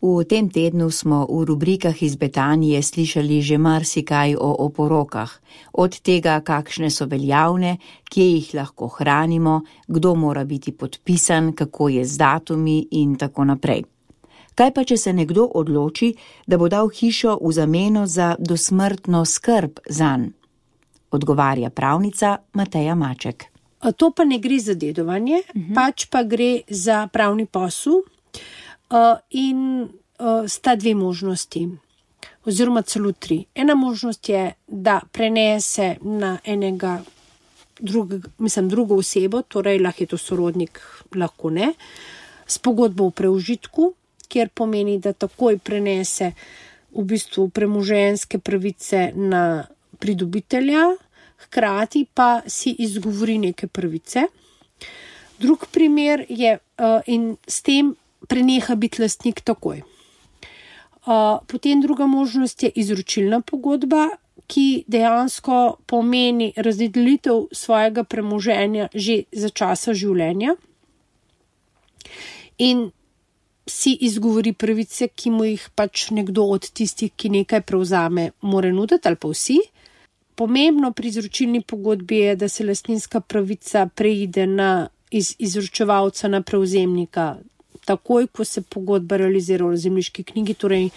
V tem tednu smo v rubrikah iz Betanije slišali že marsikaj o oporokah, od tega, kakšne so veljavne, kje jih lahko hranimo, kdo mora biti podpisan, kako je z datumi in tako naprej. Kaj pa, če se nekdo odloči, da bo dal hišo v zameno za dosmrtno skrb zanj? Odgovarja pravnica Mateja Maček. To pa ne gre za dedovanje, pač pa gre za pravni posel. In sta dve možnosti, oziroma celo tri. Ena možnost je, da prenese na drugo osebo, torej lahko je to sorodnik, lahko ne, s pogodbo v preužitku, kjer pomeni, da takoj prenese v bistvu premoženjske pravice na pridobitelja, hkrati pa si izgovori neke pravice. Drug primer je in s tem preneha biti lastnik takoj. Potem druga možnost je izročilna pogodba, ki dejansko pomeni razdelitev svojega premoženja že za časa življenja in si izgovori pravice, ki mu jih pač nekdo od tistih, ki nekaj prevzame, mora nuditi ali pa vsi. Pomembno pri izročilni pogodbi je, da se lastninska pravica preide iz izročevalca na prevzemnika takoj, ko se pogodba realizira v zemljiški knjigi, torej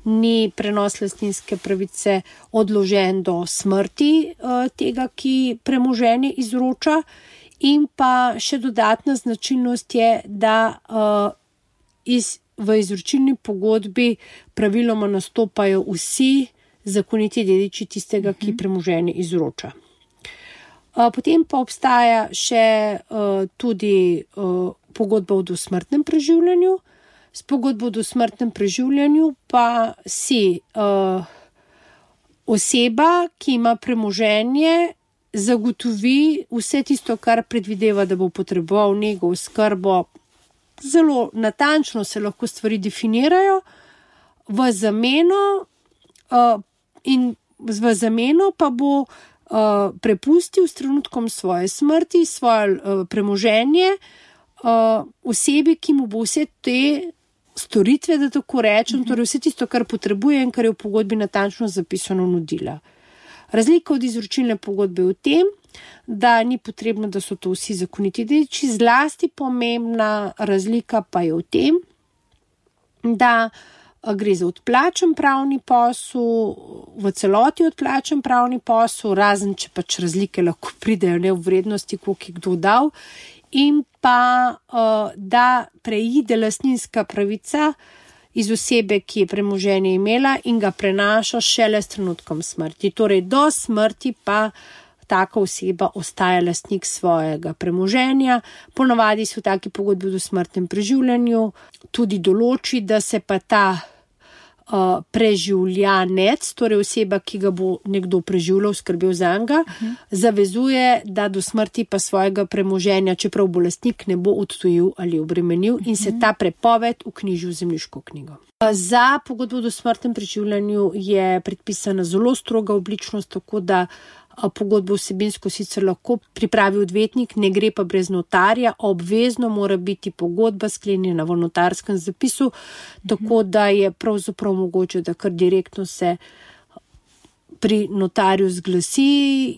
ni prenos lastninske pravice odložen do smrti tega, ki premoženje izroča. In pa še dodatna značilnost je, da v izročilni pogodbi praviloma nastopajo vsi zakoniti dediči tistega, ki premoženje izroča. Potem pa obstaja še tudi pogodba o dosmrtnem preživljanju. S pogodbo o dosmrtnem preživljanju pa si oseba, ki ima premoženje, zagotovi vse tisto, kar predvideva, da bo potreboval nego, oskrbo. Zelo natančno se lahko stvari definirajo, v zameno pa bo prepustil s trenutkom svoje smrti, svoje premoženje osebi, ki mu bo vse te storitve, da tako rečem, torej vse tisto, kar potrebuje in kar je v pogodbi natančno zapisano, nudila. Razlika od izročilne pogodbe je v tem, da ni potrebno, da so to vsi zakoniti dediči, zlasti pomembna razlika pa je v tem, da gre za odplačen pravni posel, v celoti odplačen pravni posel, razen če pač razlike lahko pridejo ne v vrednosti, koliko je kdo dal, in pa da preide lastninska pravica iz osebe, ki je premoženje imela in ga prenaša šele s trenutkom smrti. Torej do smrti pa taka oseba ostaja lastnik svojega premoženja. Ponavadi se v taki pogodbi o dosmrtnem preživljanju tudi določi, da se pa ta preživljanec, torej oseba, ki ga bo nekdo preživljal, skrbel zanj, zavezuje, da do smrti pa svojega premoženja, čeprav bo lastnik, ne bo odtujil ali obremenil in se ta prepoved vknjiži v zemljiško knjigo. Za pogodbo o dosmrtnem preživljanju je predpisana zelo stroga obličnost, tako da pogodbo vsebinsko sicer lahko pripravi odvetnik, ne gre pa brez notarja, obvezno mora biti pogodba sklenjena v notarskem zapisu, tako da je pravzaprav mogoče, da kar direktno se pri notarju zglasi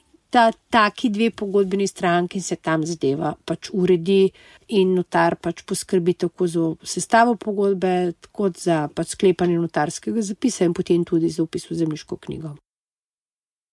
taki dve pogodbeni stranki in se tam zadeva pač uredi in notar pač poskrbi tako za sestavo pogodbe, kot za pač sklepanje notarskega zapisa in potem tudi za vpis v zemljiško knjigo.